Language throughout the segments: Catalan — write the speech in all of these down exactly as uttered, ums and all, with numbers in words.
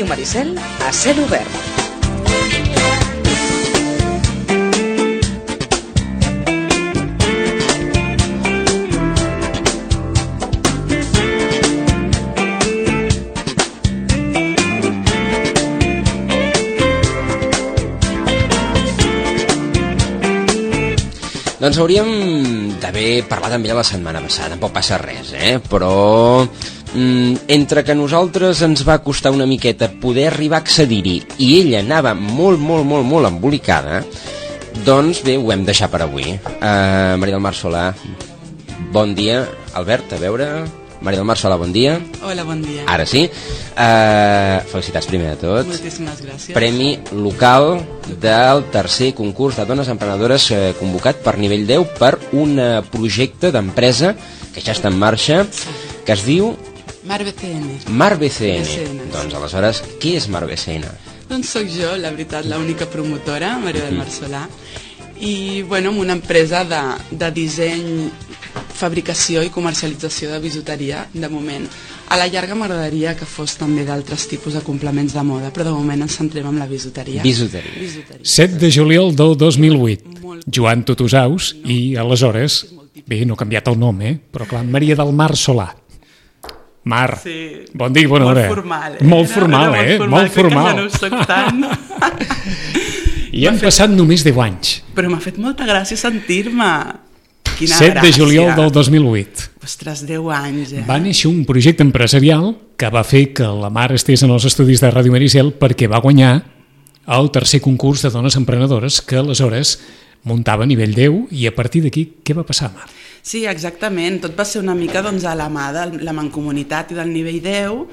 Ràdio Maricel a cel obert. Doncs hauríem d'haver parlat amb ella la setmana passada, tampoc passa res, eh? Però mm, entre que a nosaltres ens va costar una miqueta poder arribar a accedir-hi i ella anava molt, molt, molt, molt embolicada, doncs bé, ho hem deixat per avui. Uh, Maria del Mar Solà, bon dia. Albert, a veure... Maria del Mar Solà, bon dia. Hola, bon dia. Ara sí. Uh, felicitats primer de tot. Moltíssimes gràcies. Premi local del tercer concurs de dones emprenedores eh, convocat per nivell deu per un uh, projecte d'empresa que ja està en marxa, que es diu... Mar B C N. Mar B C N. B C N. Doncs aleshores, què és Mar B C N? Doncs sóc jo, la veritat, l'única promotora, Maria del Mar Solà, i bueno, amb una empresa de, de disseny, fabricació i comercialització de bisuteria, de moment. A la llarga m'agradaria que fos també d'altres tipus de complements de moda, però de moment ens centrem en la bisuteria. Bisuteria. bisuteria. set de juliol del dos mil vuit. Joan Tutusaus i, aleshores, bé, no ha canviat el nom, eh? Però clar, Maria del Mar Solà. Mar, Sí. bon dia i bona Molt hora. formal, eh? Molt formal, Era, era eh? molt Molt formal. formal. Crec que ja no ho soc tant. I han passat només deu anys. Però m'ha fet molta gràcia sentir-me. Quina set de gràcia. juliol del dos mil vuit. Ostres, deu anys, eh? Va néixer un projecte empresarial que va fer que la Mar estés en els estudis de Ràdio Maricel perquè va guanyar el tercer concurs de dones emprenedores que aleshores muntava a nivell deu i a partir d'aquí què va passar, Mar? Sí, exactament. Tot va ser una mica doncs, a la mà de la mancomunitat i del nivell deu.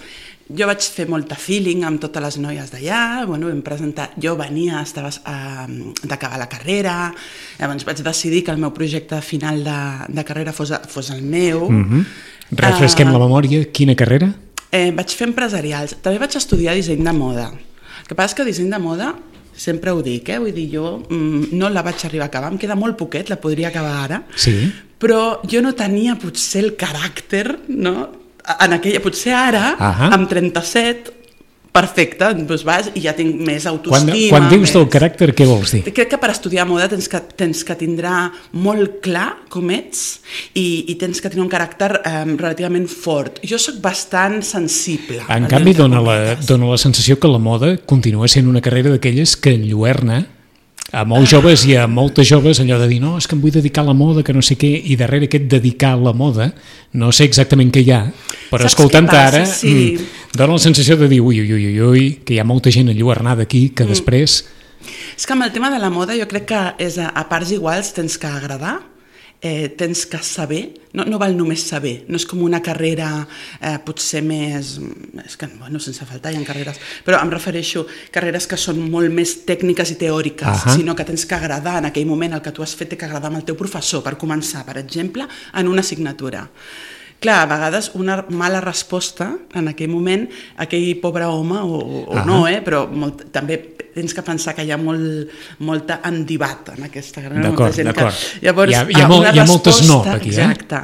Jo vaig fer molta feeling amb totes les noies d'allà, bueno, vam presentar, jo venia, estava uh, d'acabar la carrera, llavors vaig decidir que el meu projecte final de, de carrera fos, fos el meu. Mm-hmm. Refresquem uh, la memòria, quina carrera? Eh, vaig fer empresarials, també vaig estudiar disseny de moda. El que passa és que disseny de moda, sempre ho dic, eh? Vull dir, jo mm, no la vaig arribar a acabar, em queda molt poquet, la podria acabar ara, Sí. però jo no tenia potser el caràcter, no?, en aquella, potser ara, Ahà. amb trenta-set, perfecte, doncs vas i ja tinc més Quan, autoestima. quan dius més... del caràcter, què vols dir? Crec que per estudiar moda tens que, tens que tindrà molt clar com ets i, i tens que tenir un caràcter eh, relativament fort. Jo sóc bastant sensible. En al canvi, entre dona la, cometes. dona la sensació que la moda continua sent una carrera d'aquelles que enlluerna a molts joves i a moltes joves allò de dir no, és que em vull dedicar a la moda, que no sé què, i darrere aquest dedicar a la moda, no sé exactament què hi ha, però Saps escoltant-te què passa? ara, Sí. mm, dona la sensació de dir ui, ui, ui, ui, ui, que hi ha molta gent enlluernada aquí, que Mm. després... És que amb el tema de la moda jo crec que és a, a parts iguals tens que agradar, eh, tens que saber, no, no val només saber, no és com una carrera eh, potser més, és que bueno, sense faltar hi ha carreres, però em refereixo a carreres que són molt més tècniques i teòriques, Ahà. sinó que tens que agradar en aquell moment, el que tu has fet té que agradar amb el teu professor, per començar, per exemple, en una assignatura. Clar, a vegades una mala resposta en aquell moment, aquell pobre home, o, o Ahà. no, eh, però molt, també tens que pensar que hi ha molt, molta endivat en aquesta carrera. D'acord, molta gent d'acord. Que, llavors, Hi ha- hi ha ah, molt- una hi ha moltes resposta- no, aquí, eh? Exacte.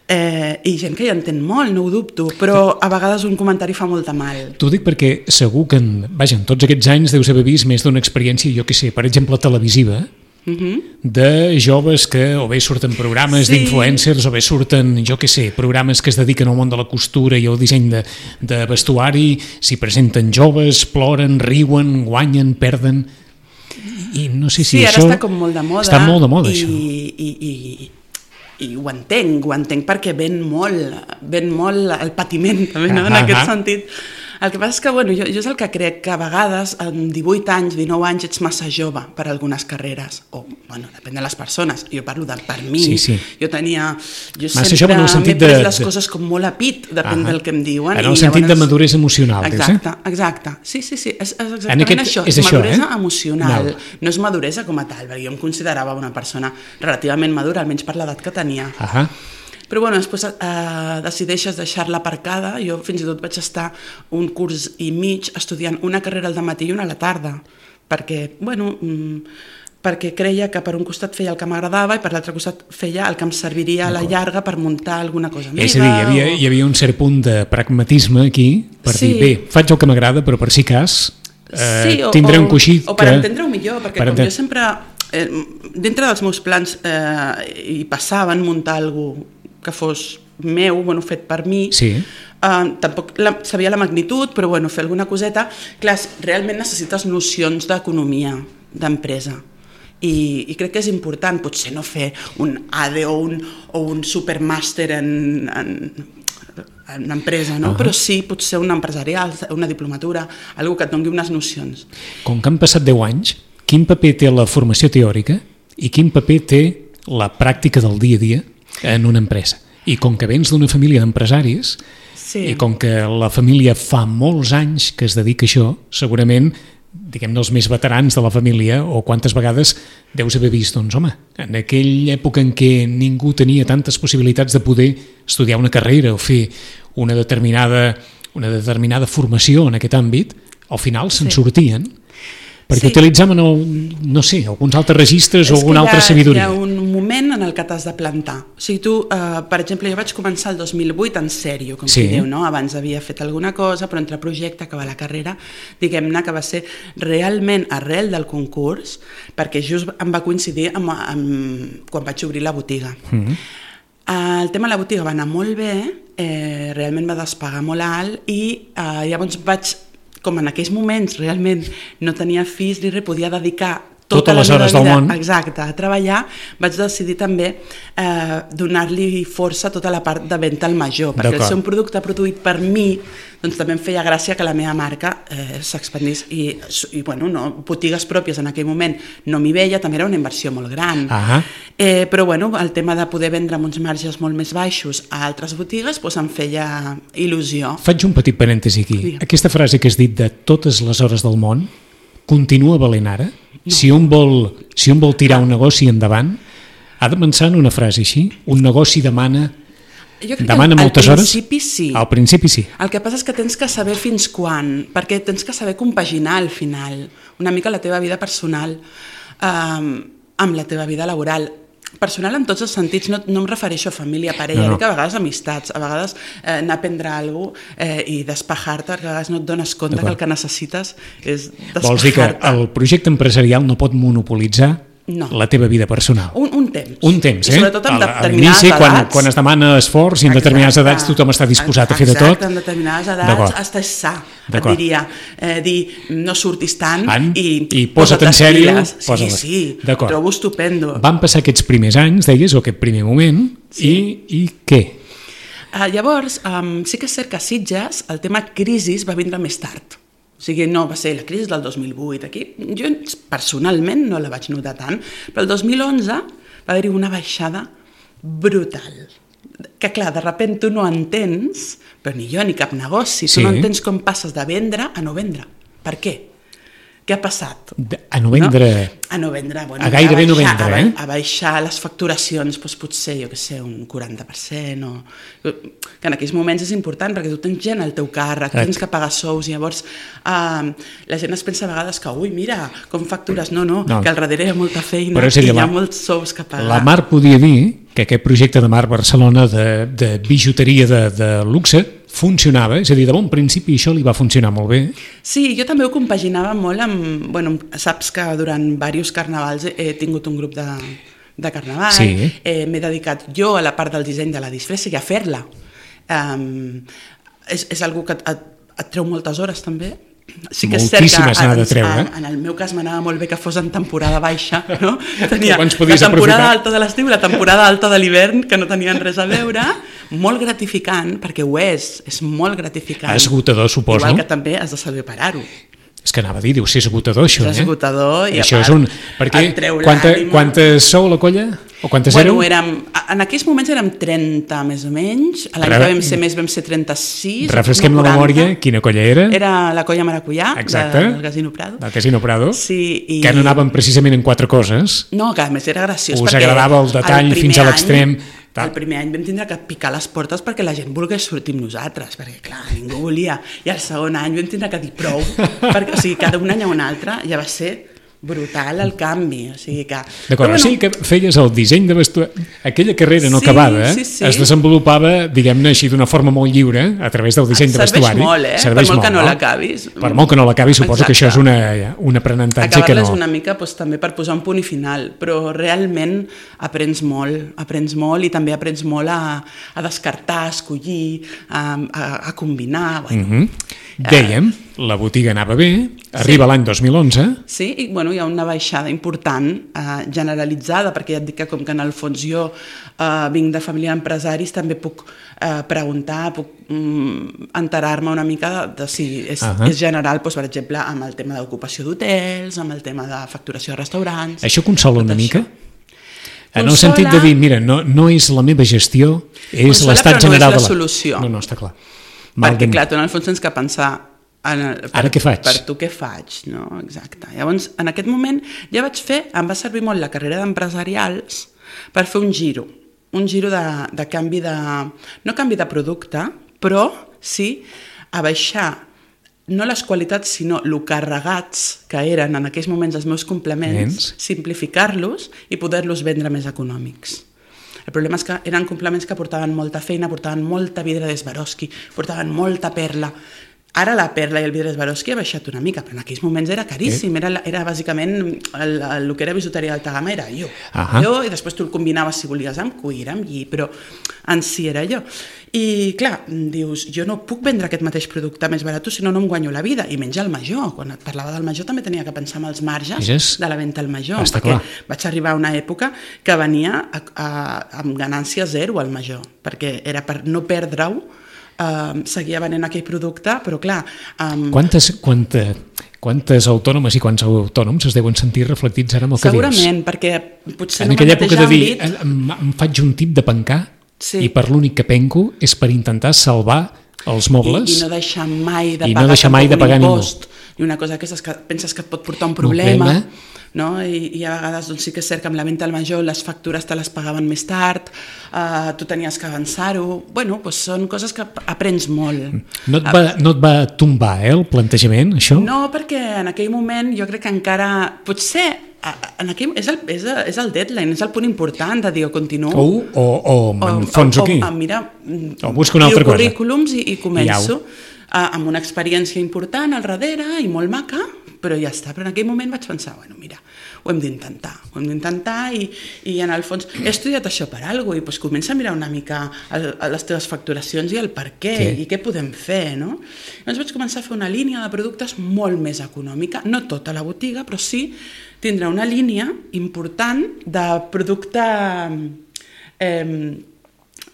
Eh, I gent que hi entén molt, no ho dubto, però a vegades un comentari fa molta mal. T'ho dic perquè segur que en, vaja, en tots aquests anys deus haver vist més d'una experiència, jo què sé, per exemple, televisiva, Uh-huh. de joves que o bé surten programes Sí. d'influencers o bé surten, jo què sé, programes que es dediquen al món de la costura i al disseny de, de vestuari, s'hi presenten joves, ploren, riuen, guanyen, perden i no sé si Sí, ara això... està com molt de moda. Està molt de moda, i, això. I, i, i ho entenc, ho entenc perquè ven molt, ven molt el patiment, també, no? En Ah, aquest ah. sentit. El que passa és que, bueno, jo, jo és el que crec, que a vegades, amb divuit anys, dinou anys, ets massa jove per a algunes carreres. O, bueno, depèn de les persones. Jo parlo de per mi. Sí, sí. Jo tenia... Jo Massa sempre jove en el m'he sentit pres de- les de- coses com molt a pit, depèn Ah, del que em diuen. en i el sentit de llavors- maduresa emocional, dius, eh? Exacte, exacte. Sí, sí, sí, és, és exactament En aquest- això. és això, maduresa eh? emocional. Val. No és maduresa com a tal, perquè jo em considerava una persona relativament madura, almenys per l'edat que tenia. Ahà. Però bueno, després eh, decideixes deixar-la aparcada. Jo fins i tot vaig estar un curs i mig estudiant una carrera al matí i una a la tarda, perquè, bueno, mm, perquè creia que per un costat feia el que m'agradava i per l'altre costat feia el que em serviria a la llarga per muntar alguna cosa meva. És a dir, hi havia, o... hi havia un cert punt de pragmatisme aquí per Sí. dir, bé, faig el que m'agrada, però per si cas eh, sí, o, tindré un o, coixí o per que... entendre-ho millor, perquè per com enten- jo sempre, eh, dintre dels meus plans eh, hi passaven muntar alguna que fos meu, bueno, fet per mi, Sí. uh, tampoc la, sabia la magnitud, però bueno, fer alguna coseta, clar, realment necessites nocions d'economia, d'empresa. I, i crec que és important, potser no fer un A D E o un, o un supermàster en, en, en empresa, no? Uh-huh. Però sí, potser una empresarial, una diplomatura, algú que et doni unes nocions. Com que han passat deu anys, quin paper té la formació teòrica i quin paper té la pràctica del dia a dia en una empresa? I com que vens d'una família d'empresaris, Sí. i com que la família fa molts anys que es dedica a això, segurament, diguem-ne, els més veterans de la família, o quantes vegades deus haver vist, doncs, home, en aquella època en què ningú tenia tantes possibilitats de poder estudiar una carrera o fer una determinada, una determinada formació en aquest àmbit, al final se'n Sí. sortien, perquè Sí. utilitzaven, el, no sé, alguns altres registres o És que alguna hi ha- altra sabidoria. Hi ha un moment en el que t'has de plantar. O sigui, tu, eh, per exemple, jo vaig començar el dos mil vuit en sèrio, com Sí. qui diu, no? Abans havia fet alguna cosa, però entre projecte, acabar la carrera, diguem-ne que va ser realment arrel del concurs, perquè just em va coincidir amb, amb, quan vaig obrir la botiga. Mm. El tema de la botiga va anar molt bé, eh, realment va despegar molt alt i eh, llavors vaig, com en aquells moments realment no tenia fills ni res, podia dedicar tota Totes les la meva hores del vida, món. exacte, a treballar, vaig decidir també eh, donar-li força a tota la part de venda al major, perquè el D'acord. ser un producte produït per mi, doncs també em feia gràcia que la meva marca eh, s'expandís i, i bueno, no, botigues pròpies en aquell moment no m'hi veia, també era una inversió molt gran. Ah. Eh, però bueno, el tema de poder vendre amb uns marges molt més baixos a altres botigues doncs em feia il·lusió. Faig un petit parèntesi aquí. Digue'm. Aquesta frase que has dit de totes les hores del món continua valent ara? No. Si un vol, si un vol tirar un negoci endavant, ha de pensar en una frase així? Un negoci demana, Jo crec demana que moltes al hores? principi sí. Al principi sí. El que passa és que tens que saber fins quan, perquè tens que saber compaginar al final una mica la teva vida personal eh, amb la teva vida laboral. Personal en tots els sentits, no, no em refereixo a família, parella, No, no. dic a vegades amistats, a vegades eh, anar a prendre alguna cosa eh, i despejar-te, perquè a vegades no et dones compte que el que necessites és despejar-te. Vols dir que el projecte empresarial no pot monopolitzar No. la teva vida personal? Un, un temps. Un temps, eh? I sobretot amb A la- a determinades l'inici, quan, edats. quan es demana esforç i en determinades Exacte. edats tothom està disposat a fer de tot. Exacte, en determinades edats D'acord. estàs sa, et D'acord. diria, eh, dir no surtis tant An, i, i posa't en sèrio. piles. Sí, posa-les. sí, D'acord. trobo estupendo. Van passar aquests primers anys, deies, o aquest primer moment, Sí. i, i què? Uh, llavors, um, sí que és cert que a Sitges el tema crisis va vindre més tard. O sigui, no va ser la crisi del dos mil vuit aquí. Jo personalment no la vaig notar tant, però el dos mil onze va haver-hi una baixada brutal. Que clar, de sobte tu no entens, però ni jo ni cap negoci, tu Sí. no entens com passes de vendre a no vendre. Per què? Què ha passat? De- A no vendre... No? A no vendre, bueno, A gairebé no baixar, vendre, a, ba- eh? a baixar les facturacions, doncs potser, jo què sé, un quaranta per cent, o... que en aquells moments és important, perquè tu tens gent al teu càrrec, Exacte. tens que pagar sous, i llavors eh, la gent es pensa a vegades que, ui, mira, com factures, no, no, No. que al darrere hi ha molta feina Però és a dir, i hi ha la- molts sous que pagar. La Mar podia dir que aquest projecte de Mar Barcelona de, de bijuteria de, de luxe funcionava, és a dir, de bon principi això li va funcionar molt bé. Sí, jo també ho compaginava molt amb... Bueno, saps que durant diversos carnavals he, he tingut un grup de, de carnaval, Sí. eh, m'he dedicat jo a la part del disseny de la disfressa i a fer-la. Um, és, és algo que et, et, et treu moltes hores també. Sí que és cert que Moltíssimes n'ha de treure. en, en el meu cas m'anava molt bé que fos en temporada baixa, no? Tenia Abans la podies temporada aprofitar. alta de l'estiu i la temporada alta de l'hivern, que no tenien res a veure, molt gratificant, perquè ho és, és molt gratificant. Esgotador, suposo. Igual que també has de saber parar-ho. És que anava a dir, deu ser esgotador, això, És eh? esgotador i a això part és un... Perquè et treu quanta, l'ànima. quantes sou a la colla? O quantes Bueno, éreu? érem, en aquells moments érem trenta més o menys, l'any Re- que vam ser més vam ser trenta-sis. Refresquem no, la quaranta. memòria, quina colla era? Era la colla Maracuyà, Exacte. de, del Casino Prado. Del Casino Prado. Sí, i... Que no anaven precisament en quatre coses. No, que a més era graciós. Us perquè agradava el detall primer fins a any- l'extrem. Tal. El primer any vam tindre que picar les portes perquè la gent volgués sortir amb nosaltres, perquè clar, ningú volia. I el segon any vam tindre que dir prou, perquè o sigui, cada un any a un altre ja va ser brutal el canvi, o sigui que... D'acord, bueno, o sigui que feies el disseny de vestuari, aquella carrera no sí, acabada sí, sí. es desenvolupava, diguem-ne així, d'una forma molt lliure a través del disseny de vestuari. Serveix molt, eh? Serveix per molt molt, que no no? l'acabis. Per molt que no l'acabis, suposo Exacte. Que això és una, un aprenentatge que no... Acabar-les una mica doncs, també per posar un punt i final, però realment aprens molt, aprens molt i també aprens molt a, a descartar, a escollir, a, a, a combinar... Bueno, mm -hmm. Dèiem, la botiga anava bé, arriba sí. l'any dos mil onze... Sí, i bueno, hi ha una baixada important, eh, generalitzada, perquè ja et dic que com que en el fons jo eh, vinc de família d'empresaris, també puc eh, preguntar, puc mm, enterar-me una mica de, de si és, uh -huh. és general, doncs, per exemple, amb el tema d'ocupació d'hotels, amb el tema de facturació de restaurants... Això consola una mica? Això. En el sentit de dir, mira, no, no és la meva gestió, és l'estat general no és la de la... solució. No, no, està clar. Mal perquè, clar, tu en el fons tens que pensar en el, per, ara què faig? Per tu què faig, no? Exacte. Llavors, en aquest moment ja vaig fer, em va servir molt la carrera d'empresarials per fer un giro, un giro de, de canvi de... no canvi de producte, però sí a baixar no les qualitats, sinó el carregats que eren en aquells moments els meus complements, simplificar-los i poder-los vendre més econòmics. El problema és que eren complements que portaven molta feina, portaven molta vidre de Swarovski, portaven molta perla. Ara la perla i el vidre de Swarovski ha baixat una mica, però en aquells moments era caríssim, era, era bàsicament el, el, el que era bisuteria d'alta gamma era jo. Uh-huh. jo. I després tu el combinaves, si volies, amb cuir, amb lli, però en si era jo. I clar, dius, jo no puc vendre aquest mateix producte més barat, si no, no em guanyo la vida, i menys el major. Quan et parlava del major també tenia que pensar en els marges és... de la venda al major, Està perquè clar. vaig arribar a una època que venia a, a, amb ganància zero al major, perquè era per no perdre-ho. Uh, seguia venent aquell producte, però clar... Um... Quantes, quanta, quantes autònomes i quants autònoms es deuen sentir reflectits ara amb el que dius? Segurament, perquè potser en no aquella època de dir, àmbit... em, em faig un tip de pencar sí. i per l'únic que penco és per intentar salvar els mobles i, i no deixar mai de i pagar, no deixar mai de pagar un ningú. impost. I una cosa que és que penses que et pot portar un problema, problema. No? I, i a vegades doncs, sí que és cert que amb la venda al major les factures te les pagaven més tard, uh, tu tenies que avançar-ho, bueno, doncs són coses que aprens molt. No et va, no et va tombar eh, el plantejament, això? No, perquè en aquell moment jo crec que encara, potser en aquell, és, el, és, el, és el deadline, és el punt important de dir, o continuo o, o, o m'enfonso aquí o, o, mira, o busco una altra cosa currículums i, i començo uh, amb una experiència important al darrere i molt maca, però ja està. Però en aquell moment vaig pensar, bueno, mira, ho hem d'intentar, ho hem d'intentar i, i en el fons he estudiat això per alguna cosa i doncs comença a mirar una mica el, les teves facturacions i el per què sí. i què podem fer, no? Llavors vaig començar a fer una línia de productes molt més econòmica, no tota la botiga, però sí tindrà una línia important de producte eh,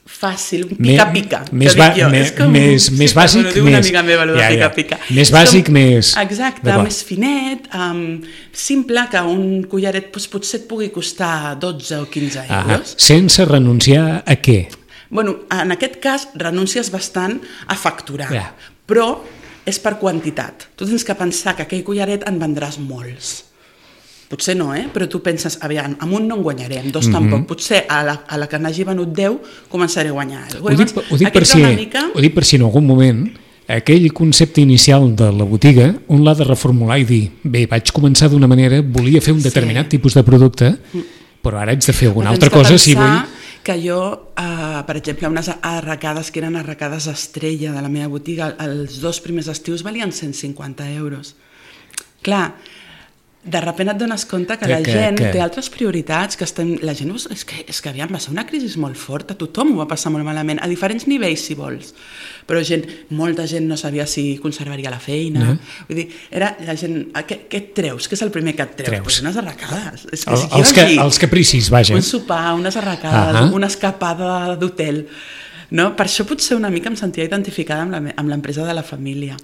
fàcil, un pica-pica. Més, ba més, com, més, sí, més bàsic, més... Una amiga meva, ja, ja. pica-pica. Més bàsic, com, més... Exacte, més finet, um, simple, que un collaret doncs, potser et pugui costar dotze o quinze euros. Ah, sense renunciar a què? Bueno, en aquest cas renuncies bastant a facturar, ja. però és per quantitat. Tu tens que pensar que aquell collaret en vendràs molts. Potser no, eh? Però tu penses, aviam, amb un no en guanyarem, dos mm -hmm. tampoc. Potser a la, a la que n'hagi venut deu començaré a guanyar. Ho dic, ho, dic per si, mica... ho dic per si en algun moment aquell concepte inicial de la botiga un l'ha de reformular i dir, bé, vaig començar d'una manera, volia fer un determinat sí. tipus de producte, però ara haig de fer alguna altra cosa si vull... que jo, eh, per exemple, unes arracades que eren arracades estrella de la meva botiga, els dos primers estius valien cent cinquanta euros. Clar, de sobte et dones compte que, que la gent que, que... té altres prioritats, que estem, la gent és que, és que aviam, va ser una crisi molt forta, tothom ho va passar molt malament, a diferents nivells si vols, però gent, molta gent no sabia si conservaria la feina, no. Vull dir, era la gent, què, què et treus? Què és el primer que et treus? treus. Pues unes arracades. És que, el, si els, que, els capricis, vaja. Un sopar, unes arracades, uh -huh. una escapada d'hotel, no? Per això potser una mica em sentia identificada amb l'empresa de la família.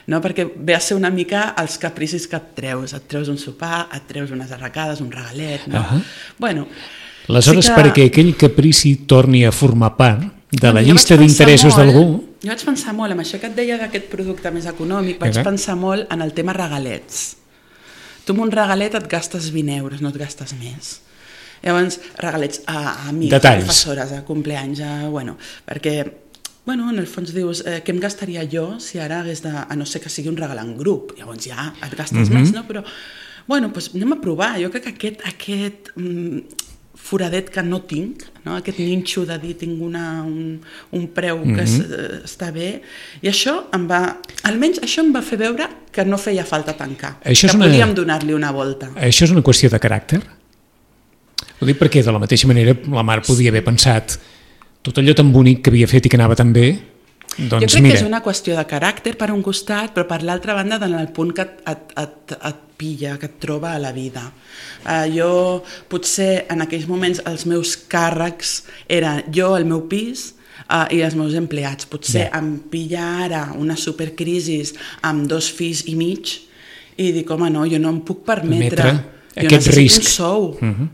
No? Perquè ve a ser una mica els capricis que et treus. Et treus un sopar, et treus unes arracades, un regalet, no? Uh-huh. Bueno, aleshores, sí que... perquè aquell caprici torni a formar part de la bueno, llista d'interessos d'algú... Jo vaig pensar molt, amb això que et deia d'aquest producte més econòmic, vaig uh-huh. pensar molt en el tema regalets. Tu amb un regalet et gastes vint euros, no et gastes més. Llavors, regalets a, a amics, detalls. A professores, a compleanys, a, bueno, perquè... Bueno, en el fons dius, eh, què em gastaria jo si ara hagués de, a no ser que sigui un regal en grup, llavors ja et gastes mm-hmm. més, no? Però, Bueno, doncs anem a provar. Jo crec que aquest, aquest mm, foradet que no tinc, no? Aquest ninxo de dir tinc una, un, un preu que mm-hmm. es, està bé, i això em va, almenys això em va fer veure que no feia falta tancar, això que una... podíem donar-li una volta. Això és una qüestió de caràcter? Ho dic perquè de la mateixa manera la Mar podia haver pensat tot allò tan bonic que havia fet i que anava tan bé, doncs jo crec mira. que és una qüestió de caràcter per un costat, però per l'altra banda en el punt que et, et, et, et pilla, que et troba a la vida. Uh, jo potser en aquells moments els meus càrrecs eren jo, el meu pis, Uh, i els meus empleats. Potser yeah. em pilla ara una supercrisis amb dos fills i mig i dic, home, no, jo no em puc permetre. Jo aquest risc. Un sou. Uh-huh.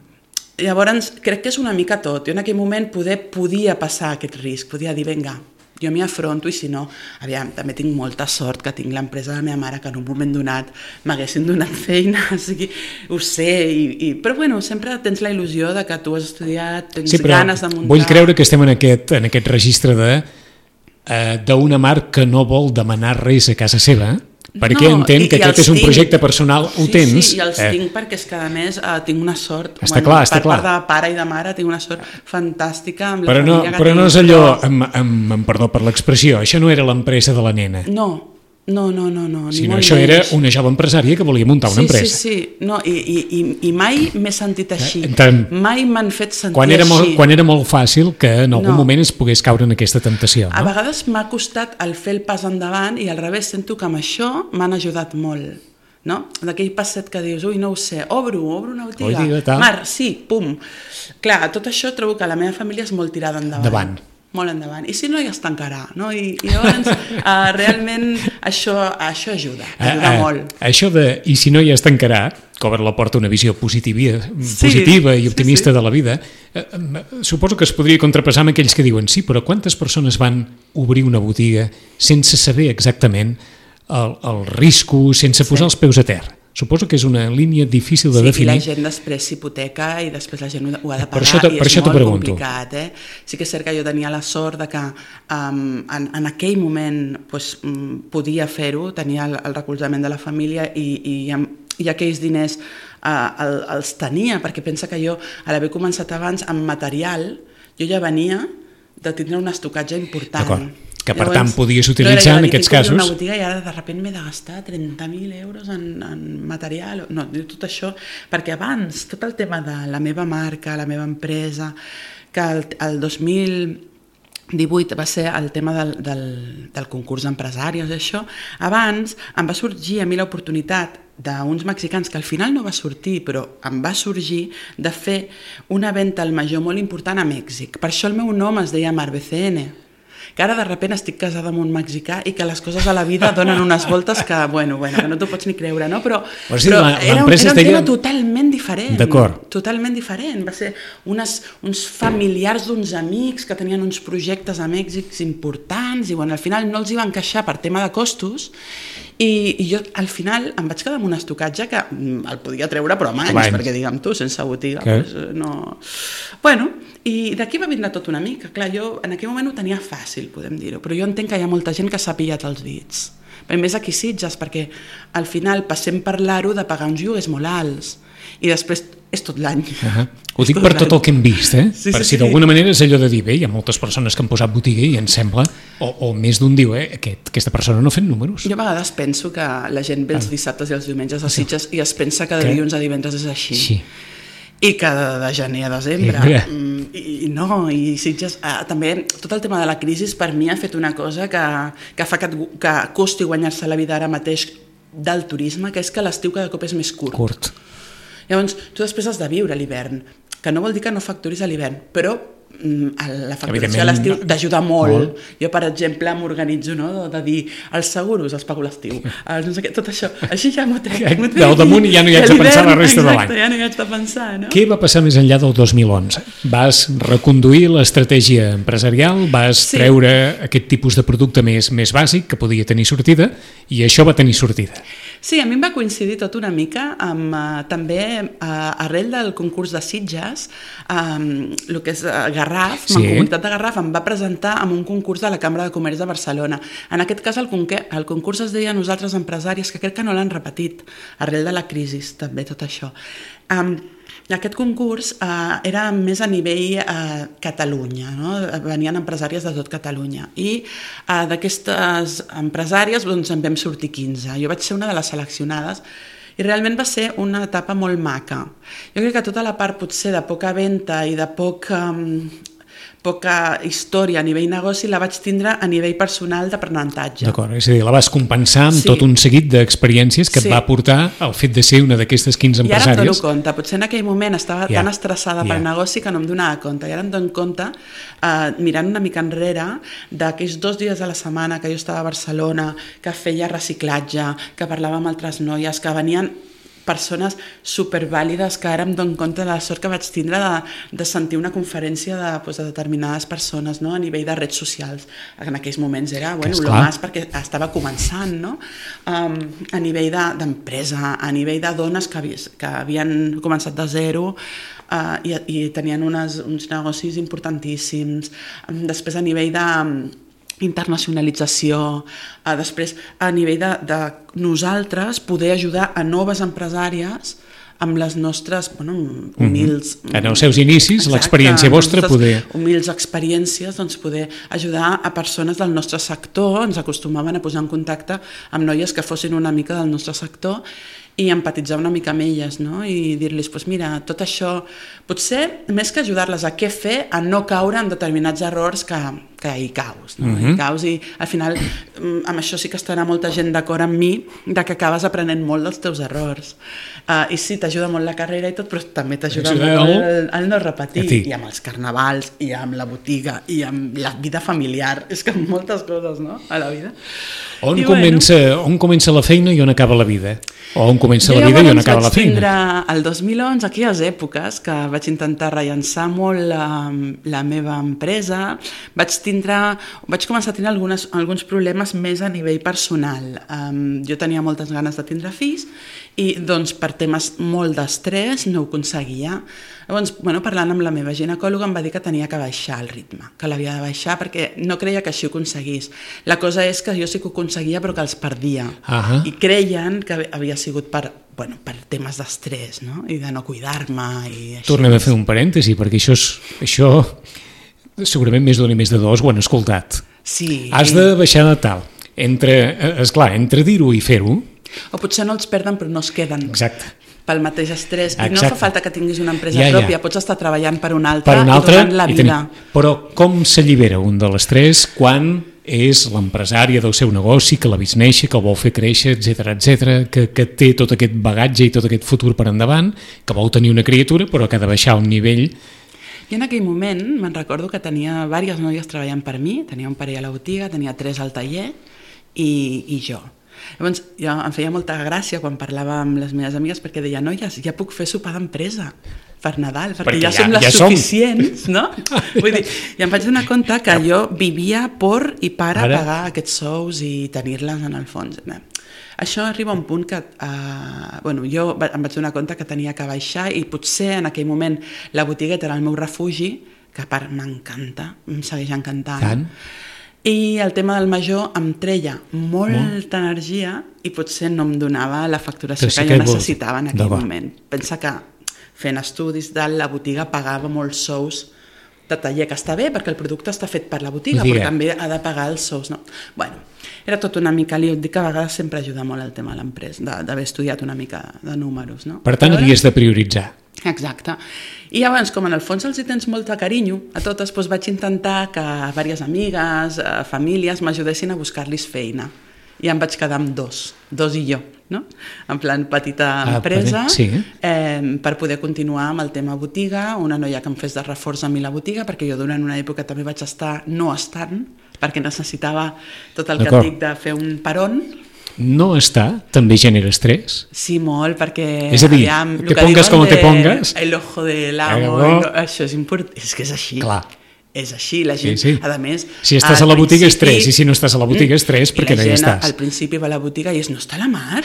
Llavors, crec que és una mica tot. Jo en aquell moment poder, podia passar aquest risc, podia dir, vinga, jo m'hi afronto i si no, aviam, també tinc molta sort que tinc l'empresa de la meva mare que en un moment donat m'haguessin donat feina, o sigui, ho sé, i, i, però bueno, sempre tens la il·lusió de que tu has estudiat, tens sí, ganes de muntar... Vull creure que estem en aquest, en aquest registre de eh, d'una Mar que no vol demanar res a casa seva, perquè no, entenc que aquest és un tinc. projecte personal, ho sí, tens. Sí, i els eh. tinc perquè és que a més eh, tinc una sort, està bueno, clar, està per clar. part de pare i de mare tinc una sort fantàstica amb la però no, família que però tinc. no és allò, amb, amb, amb perdó per l'expressió, això no era l'empresa de la nena. No, no, no, no, no ni sinó molt això menys. Era una jove empresària que volia muntar una sí, empresa. Sí, sí, no, i, i, i, i mai m'he sentit així, eh, tant, mai m'han fet sentir quan era així. Molt, quan era molt fàcil que en algun no. moment es pogués caure en aquesta temptació. No? A vegades m'ha costat el fer el pas endavant i al revés sento que amb això m'han ajudat molt. No? D'aquell passet que dius, ui, no ho sé, obro, obro una botiga, botiga Mar, sí, pum. Clar, tot això trobo que la meva família és molt tirada endavant. Endavant. Molt endavant. I si no, ja es tancarà. No? I, i llavors, uh, realment, això, això ajuda, ajuda uh, uh, molt. Això de, i si no, ja es tancarà, que obre la porta a una visió positiva, sí, positiva i optimista sí, sí. de la vida, uh, suposo que es podria contrapassar amb aquells que diuen, sí, però quantes persones van obrir una botiga sense saber exactament el, el risco, sense posar sí. els peus a terra? Suposo que és una línia difícil de sí, definir. Sí, i la gent després s'hipoteca i després la gent ho ha de pagar per això te, i per és això molt pregunto. complicat. Eh? Sí que és cert que jo tenia la sort de que um, en, en aquell moment pues, um, podia fer-ho, tenia el, el recolzament de la família i, i, i aquells diners uh, el, els tenia, perquè pensa que jo, a l'haver començat abans amb material, jo ja venia de tindre un estocatge important. D'acord. Que per Llavors, tant podies utilitzar en aquests casos... una botiga i ara de sobte m'he de gastar trenta mil euros en, en material, no, tot això, perquè abans tot el tema de la meva marca, la meva empresa, que el, el dos mil divuit va ser el tema del, del, del concurs d'empresaris, això, abans em va sorgir a mi l'oportunitat d'uns mexicans que al final no va sortir, però em va sorgir de fer una venda al major molt important a Mèxic. Per això el meu nom es deia Mar B C N, que ara de sobte estic casada amb un mexicà i que les coses a la vida donen unes voltes que, bueno, bueno, que no t'ho pots ni creure, no? Però, però, sí, però la, era, un, era un deia... tema totalment diferent. D'acord. Totalment diferent. Va ser unes, uns familiars d'uns amics que tenien uns projectes a Mèxic importants i, bueno, al final no els hi va encaixar per tema de costos i, i jo al final em vaig quedar amb un estocatge que el podia treure però amb anys, Abans. perquè digue'm tu, sense botiga, pues, no... Bueno, i d'aquí va vindre tot una mica. Clar, jo en aquell moment ho tenia fàcil, podem dir-ho, però jo entenc que hi ha molta gent que s'ha pillat els dits. A més aquí Sitges, perquè al final passem per l'aro de pagar uns lloguers molt alts i després és tot l'any. Uh-huh. Ho dic per tot el que hem vist, eh? Sí, per sí, si sí. d'alguna manera és allò de dir, bé, hi ha moltes persones que han posat botiga i em sembla, o, o més d'un diu, eh, aquest, aquesta persona no ha fet números. Jo a vegades penso que la gent ve els dissabtes i els diumenges a Sitges i es pensa que de dilluns a divendres és així. Sí. I que de, de gener a desembre I, i no, i Sitges eh, també tot el tema de la crisi per mi ha fet una cosa que, que fa que, que costi guanyar-se la vida ara mateix del turisme, que és que l'estiu cada cop és més curt. Curt. Llavors, tu després has de viure l'hivern, que no vol dir que no facturis a l'hivern, però la facturació a l'estiu t'ajuda molt. molt. Jo, per exemple, m'organitzo, no? de dir els seguros els pago a l'estiu. No sé què, tot això. Així ja m'ho trec. Del damunt ja no hi haig de pensar la resta de l'any. Exacte, ja no hi haig de pensar. No? Què va passar més enllà del dos mil onze? Vas reconduir l'estratègia empresarial, vas sí. treure aquest tipus de producte més, més bàsic que podia tenir sortida i això va tenir sortida. Sí, a mi em va coincidir tot una mica amb, uh, també uh, arrel del concurs de Sitges, um, el que és uh, Garraf, sí. Mancomunitat de Garraf, em va presentar en un concurs de la Cambra de Comerç de Barcelona. En aquest cas el, el concurs es deia Nosaltres Empresaris, que crec que no l'han repetit, arrel de la crisi, també tot això. Um, Aquest concurs eh, era més a nivell eh, Catalunya, no? Venien empresàries de tot Catalunya i eh, d'aquestes empresàries doncs, en vam sortir quinze. Jo vaig ser una de les seleccionades i realment va ser una etapa molt maca. Jo crec que tota la part potser de poca venda i de poc... Eh, poca història a nivell negoci la vaig tindre a nivell personal d'aprenentatge. D'acord, és a dir, la vas compensar amb sí. tot un seguit d'experiències que sí. et va portar al fet de ser una d'aquestes quinze empresàries. I ara em dono compte, potser en aquell moment estava ja. tan estressada ja. pel negoci que no em donava compte, i ara em dono compte, eh, mirant una mica enrere, d'aquells dos dies a la setmana que jo estava a Barcelona, que feia reciclatge, que parlava amb altres noies, que venien persones supervàlides, que ara em dono compte de la sort que vaig tindre de, de sentir una conferència de, doncs, de determinades persones, no? A nivell de redes socials. En aquells moments era bueno, lo más perquè estava començant, no? Um, a nivell d'empresa, a nivell de dones que, havi, que havien començat de zero uh, i, i tenien unes, uns negocis importantíssims. Um, després a nivell de internacionalització, eh, després a nivell de, de nosaltres poder ajudar a noves empresàries amb les nostres bueno, humils... Mm-hmm. En els seus inicis, l'experiència vostra poder... humils experiències, doncs poder ajudar a persones del nostre sector, ens acostumaven a posar en contacte amb noies que fossin una mica del nostre sector i empatitzar una mica amb elles, no? I dir-los, pues mira, tot això, potser més que ajudar-les a què fer, a no caure en determinats errors que, que hi caus, no? Mm-hmm. Hi caus i al final amb això sí que estarà molta gent d'acord amb mi, de que acabes aprenent molt dels teus errors. Uh, I sí, t'ajuda molt la carrera i tot, però també t'ajuda molt el, el no repetir. I amb els carnavals, i amb la botiga, i amb la vida familiar, és que amb moltes coses, no?, a la vida. On, comença, bueno, on comença la feina i on acaba la vida? O on comença jo la vida i on acaba la feina? Jo vaig tindre el dos mil onze, aquelles èpoques, que vaig intentar rellançar molt la, la meva empresa, vaig tindre, vaig començar a tenir algunes, alguns problemes més a nivell personal. Um, jo tenia moltes ganes de tindre fills i doncs per temes molt d'estrès no ho aconseguia. Llavors, bueno, parlant amb la meva ginecòloga em va dir que tenia que baixar el ritme, que l'havia de baixar perquè no creia que així ho aconseguís. La cosa és que jo sí que ho aconseguia però que els perdia. Uh-huh. I creien que havia sigut per, bueno, per temes d'estrès, no? I de no cuidar-me i així. Tornem a fer un parèntesi perquè això, és, això segurament més d'un i més de dos ho han escoltat. Sí. Has de baixar de tal. Entre, esclar, entre dir-ho i fer-ho. O potser no els perden però no es queden. Exacte. Pel mateix estrès. I Exacte. no fa falta que tinguis una empresa ja, pròpia, ja. pots estar treballant per una altra, per una altra i donant la vida. Tenir... Però com s'allibera un de l'estrès quan és l'empresària del seu negoci, que l'ha vist néixer, que el vol fer créixer, etcètera, etcètera, que, que té tot aquest bagatge i tot aquest futur per endavant, que vol tenir una criatura però que ha de baixar un nivell. I en aquell moment me'n recordo que tenia diverses noies treballant per mi, tenia un parell a la botiga, tenia tres al taller i, i jo. Llavors, jo em feia molta gràcia quan parlava amb les meves amigues perquè deia, noies, ja puc fer sopar d'empresa per Nadal, perquè, perquè ja, ja som les ja suficients, som. No? Vull dir, i em vaig donar compte que jo vivia por i per a pagar aquests sous i tenir-les en el fons. Bé, això arriba a un punt que uh, bueno, jo em vaig donar compte que tenia que baixar i potser en aquell moment la botigueta era el meu refugi, que a part m'encanta, em segueix encantant. Tant. I el tema del major em treia molta Molt. energia i potser no em donava la facturació que, que jo necessitava en aquell moment. Pensa que fent estudis de la botiga pagava molts sous de taller, que està bé perquè el producte està fet per la botiga, Digue. però també ha de pagar els sous. No? Bueno, era tot una mica lío. Dic que a vegades sempre ajuda molt el tema de l'empresa, d'haver estudiat una mica de números. No? Per tant, havies de prioritzar. Exacte. I llavors, com en el fons els hi tens molt de carinyo a totes, doncs vaig intentar que diverses amigues, eh, famílies m'ajudessin a buscar-los feina. I em vaig quedar amb dos, dos i jo, no? En plan petita empresa, ah, sí. eh, per poder continuar amb el tema botiga, una noia que em fes de reforç a mi la botiga, perquè jo durant una època també vaig estar no estant, perquè necessitava tot el que et dic de fer un peron. No està, també genera estrès? Sí, molt, perquè... És a dir, aviam, te pongas com te pongas... El ojo del amo, no, això és important, és que és així. Clar. És així, la gent, sí, sí. a més... Si estàs a la botiga, estrès, i si no estàs a la botiga, estrès, perquè no hi estàs. Al principi va a la botiga i és, no està la Mar?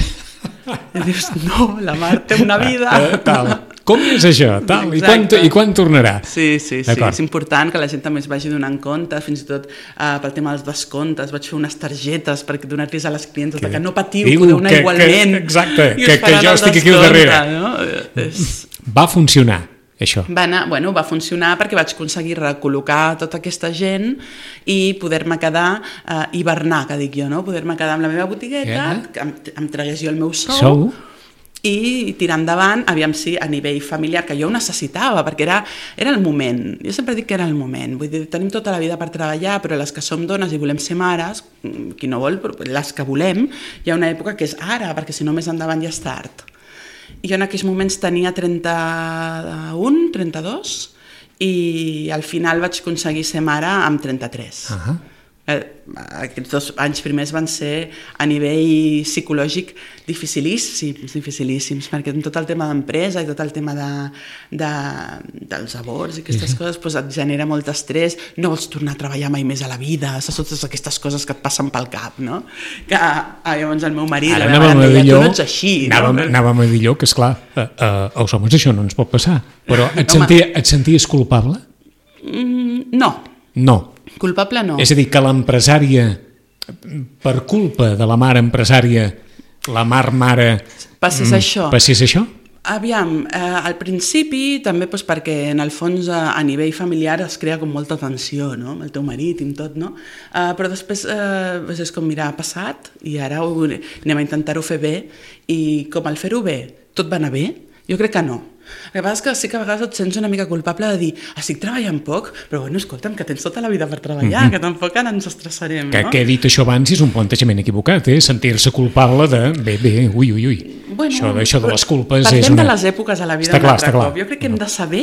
I dius, no, la mar té una vida. Eh, tal. Com és això? Tal. I quan, I quan tornarà? Sí, sí, sí. És important que la gent també es vagi donant compte, fins i tot uh, pel tema dels descomptes. Vaig fer unes targetes per donar-los a les clientes que, que no patiu, diu, podeu anar que, igualment. Que, exacte, que, que jo estic aquí al darrere. No? És... Va funcionar, això? Va, anar, bueno, va funcionar perquè vaig aconseguir recol·locar tota aquesta gent i poder-me quedar, uh, hivernar, que dic jo, no? Poder-me quedar amb la meva botigueta, yeah. que em, em tragués jo el meu sou, sou, i tirar endavant, aviam si a nivell familiar, que jo ho necessitava, perquè era, era el moment. Jo sempre dic que era el moment. Vull dir, tenim tota la vida per treballar, però les que som dones i volem ser mares, qui no vol, però les que volem, hi ha una època que és ara, perquè si no més endavant ja és tard. I jo en aquells moments tenia trenta-un, trenta-dos, i al final vaig aconseguir ser mare amb trenta-tres. Uh-huh. Aquests dos anys primers van ser a nivell psicològic dificilíssims, dificilíssims, perquè amb tot el tema d'empresa i tot el tema de, de, dels aborts i aquestes coses doncs et genera molt estrès, no vols tornar a treballar mai més a la vida, saps totes aquestes coses que et passen pel cap, no? Que ah, llavors el meu marit, ara la meva mare deia, tu no ets així. Anàvem, no? anàvem a dir allò que, esclar, uh, uh, als homes això no ens pot passar, però et, sentia, et senties culpable? Mm, no. No. Culpable no. És a dir, que l'empresària, per culpa de la mare empresària, la mar mare... Passés mm, això. Passés això? Aviam, eh, al principi també doncs, perquè en el fons a, a nivell familiar es crea com molta tensió, no? Amb el teu marit i amb tot, no? Eh, però després eh, doncs és com mirar, ha passat i ara ho, anem a intentar-ho fer bé i com al fer-ho bé tot va anar bé? Jo crec que no. El que passa és que sí que a vegades et sents una mica culpable de dir estic treballant poc, però bueno, escolta'm, que tens tota la vida per treballar, mm-hmm. que tampoc ara ens estressarem, que, no? Que he dit això abans és un plantejament equivocat, eh? Sentir-se culpable de bé, bé, ui, ui, ui. Bueno, això, això de les culpes és una... Parlem de les èpoques a la vida està clar, un altre està cop. Jo crec que hem de saber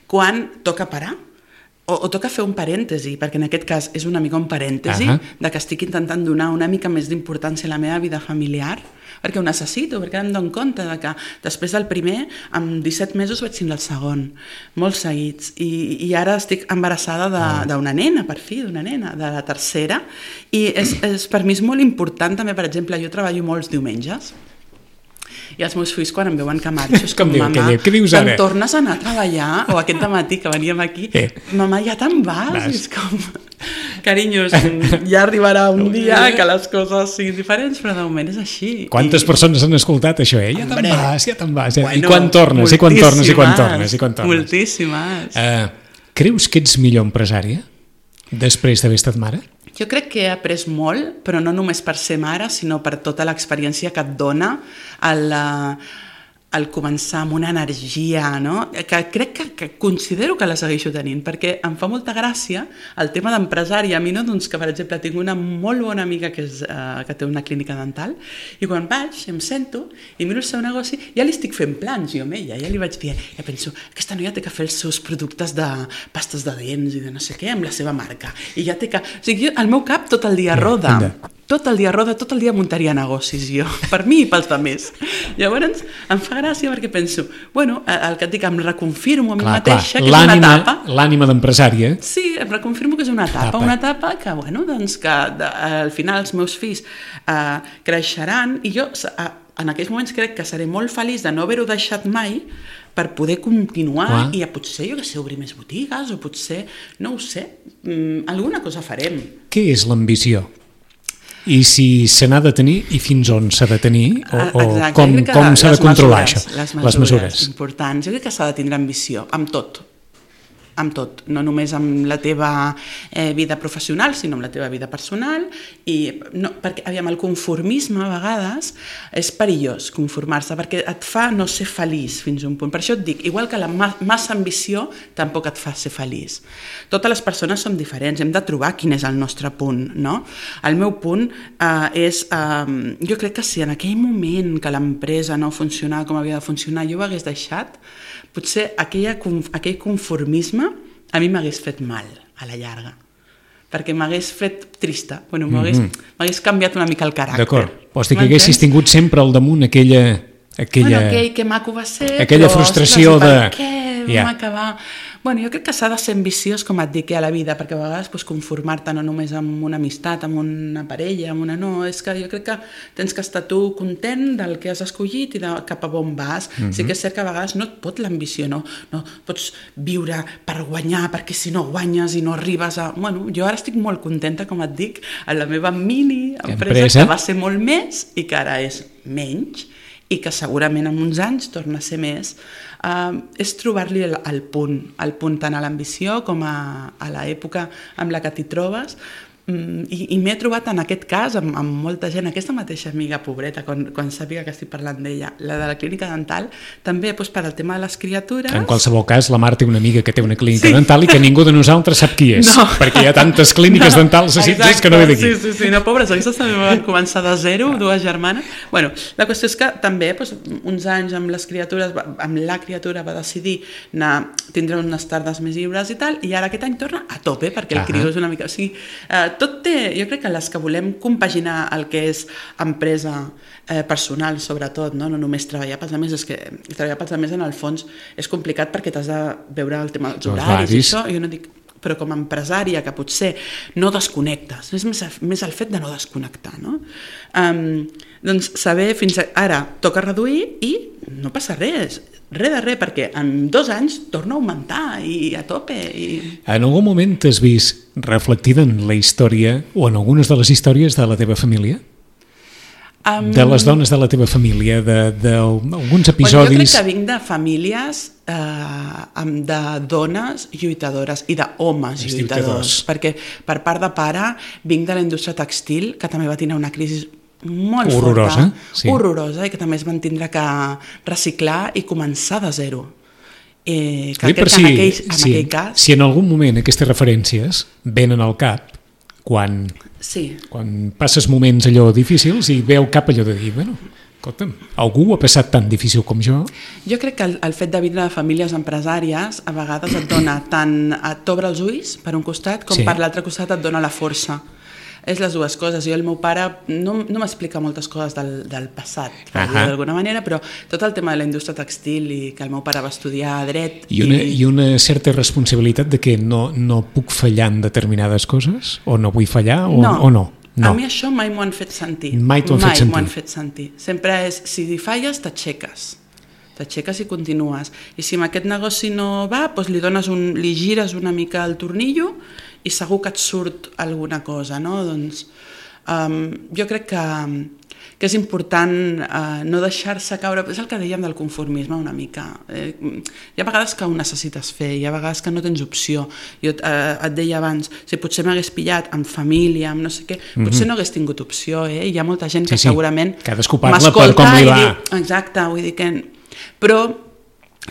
quan toca parar o, o toca fer un parèntesi, perquè en aquest cas és una mica un parèntesi uh-huh. de que estic intentant donar una mica més d'importància a la meva vida familiar, perquè ho necessito, perquè em dono compte de que després del primer, amb disset mesos vaig tindre el segon, molt seguits, i, i ara estic embarassada d'una nena, per fi, d'una nena, de la tercera, i és, és, per mi és molt important també, per exemple, jo treballo molts diumenges, i els meus fills quan em veuen que marxo és com, com diu, mamà, què, què dius ara? Te'n tornes a anar a treballar, o aquest dematí que veníem aquí, eh. mamà, ja te'n vas, vas. És com... Carinyos, ja arribarà un dia que les coses siguin diferents, però de moment és així. Quantes I... persones han escoltat això, eh? Ja te'n vas, ja te'n vas. Bueno, I quan tornes, i quan tornes, i quan tornes, i quan tornes. Moltíssimes. Uh, creus que ets millor empresària després d'haver estat mare? Jo crec que he après molt, però no només per ser mare, sinó per tota l'experiència que et dona el... al començar amb una energia, no? que crec que, que considero que la segueixo tenint, perquè em fa molta gràcia el tema d'empresari. A mi no, doncs que per exemple tinc una molt bona amiga que, és, uh, que té una clínica dental, i quan vaig, em sento i miro el seu negoci, ja li estic fent plans jo amb ella, ja li vaig dir, ja penso, aquesta noia té que fer els seus productes de pastes de dents i de no sé què, amb la seva marca, i ja té que... O sigui, jo, el meu cap tot el dia roda, tot el dia roda, tot el dia muntaria negocis jo, per mi i pels altres. Llavors, em fa gràcia perquè penso, bueno, el que et dic, em reconfirmo a mi clar, mateixa clar. Que és una etapa. L'ànima d'empresària. Sí, em reconfirmo que és una etapa, etapa. una etapa que, bueno, doncs que de, al final els meus fills eh, creixeran i jo eh, en aquells moments crec que seré molt feliç de no haver-ho deixat mai per poder continuar clar. I a potser, jo que sé, obrir més botigues o potser, no ho sé, mm, alguna cosa farem. Què és l'ambició? I si se n'ha de tenir i fins on s'ha de tenir o, o com, com s'ha de controlar mesures, això? Les mesures, les mesures importants. Jo crec que s'ha de tindre ambició, amb tot. Amb tot, no només amb la teva eh, vida professional, sinó amb la teva vida personal, i no, perquè aviam, el conformisme a vegades és perillós, conformar-se, perquè et fa no ser feliç fins a un punt. Per això et dic, igual que la ma- massa ambició tampoc et fa ser feliç. Totes les persones som diferents, hem de trobar quin és el nostre punt, no? El meu punt eh, és, eh, jo crec que si en aquell moment que l'empresa no funcionava com havia de funcionar, jo ho hagués deixat, potser aquella, aquell conformisme a mi m'hagués fet mal a la llarga, perquè m'hagués fet trista, bueno, m'hagués, mm-hmm. m'hagués canviat una mica el caràcter. D'acord, vols dir que haguessis tingut sempre al damunt aquella... aquella... Bueno, aquell que maco va ser, aquella però, frustració ostres, de... per què vam yeah. acabar... Bueno, jo crec que s'ha de ser ambiciós, com et dic, a la vida, perquè a vegades pues, conformar-te no només amb una amistat, amb una parella, amb una no, és que jo crec que tens que estar tu content del que has escollit i de cap a on vas. Mm-hmm. Sí que és cert que a vegades no et pot l'ambició, no? No pots viure per guanyar, perquè si no guanyes i no arribes a... Bueno, jo ara estic molt contenta, com et dic, en la meva mini empresa, empresa, que va ser molt més i que ara és menys, i que segurament en uns anys torna a ser més, uh, és trobar-li el, el punt, el punt tant a l'ambició com a, a l'època amb la que t'hi trobes, mm, i, i m'he trobat en aquest cas amb, amb molta gent, aquesta mateixa amiga pobreta, quan, quan sàpiga que estic parlant d'ella, la de la clínica dental, també doncs, per al tema de les criatures... En qualsevol cas, la Mar té una amiga que té una clínica sí. dental i que ningú de nosaltres sap qui és, no. perquè hi ha tantes clíniques no, dentals a Sitges que no ve d'aquí. Sí, sí, sí, no, pobres, aquestes també van començar de zero, dues germanes. Bueno, la qüestió és que també doncs, uns anys amb les criatures, amb la criatura va decidir anar, tindre unes tardes més lliures i tal, i ara aquest any torna a tope, perquè el criu és una mica... O sigui, eh, tot té, jo crec que les que volem compaginar el que és empresa eh, personal, sobretot, no? No només treballar pels altres, és que treballar pels altres en el fons és complicat perquè t'has de veure el tema dels horaris i això, jo no dic... però com a empresària que potser no desconnectes, és més, més el fet de no desconnectar, no? Um, doncs saber fins a, ara toca reduir i no passa res, res de res, perquè en dos anys torna a augmentar i a tope. I... En algun moment t'has vist reflectida en la història o en algunes de les històries de la teva família? Um... De les dones de la teva família, d'alguns episodis... Bueno, jo crec que vinc de famílies eh, de dones lluitadores i d'homes lluitadors, lluitadors, perquè per part de pare vinc de la indústria textil, que també va tenir una crisi molt horrorosa, forta, sí. horrorosa, i que també es van tindre que reciclar i començar de zero. Eh, que sí, aquest, si, en, aquell, en si, aquell cas... Si en algun moment aquestes referències venen al cap, quan, sí. quan passes moments allò difícils i veu cap allò de dir, bueno, escolta'm, algú ho ha passat tan difícil com jo. Jo crec que el, el fet de vindre de famílies empresàries a vegades et dona tant, et t'obre els ulls per un costat com sí. per l'altre costat et dona la força. És les dues coses. Jo, el meu pare no, no m'explica moltes coses del, del passat, per dir d'alguna manera, però tot el tema de la indústria textil i que el meu pare va estudiar dret... I una, i... i una certa responsabilitat de que no, no puc fallar en determinades coses? O no vull fallar o no? O no? No. A mi això mai m'ho han fet sentir. Mai t'ho han fet sentir. Mai m'ho han fet sentir. Sempre és, si falles, t'aixeques. T'aixeques i continues. I si amb aquest negoci no va, doncs li, dones un, li gires una mica el tornillo i segur que et surt alguna cosa, no? Doncs um, jo crec que, que és important uh, no deixar-se caure, és el que dèiem del conformisme una mica. Eh, hi ha vegades que ho necessites fer, hi ha vegades que no tens opció. Jo uh, et deia abans, si potser m'hagués pillat amb família, amb no sé què, potser mm-hmm. no hagués tingut opció, eh? Hi ha molta gent que sí, sí. segurament cadascú parla per com li va. Diu, exacte, vull dir que... Però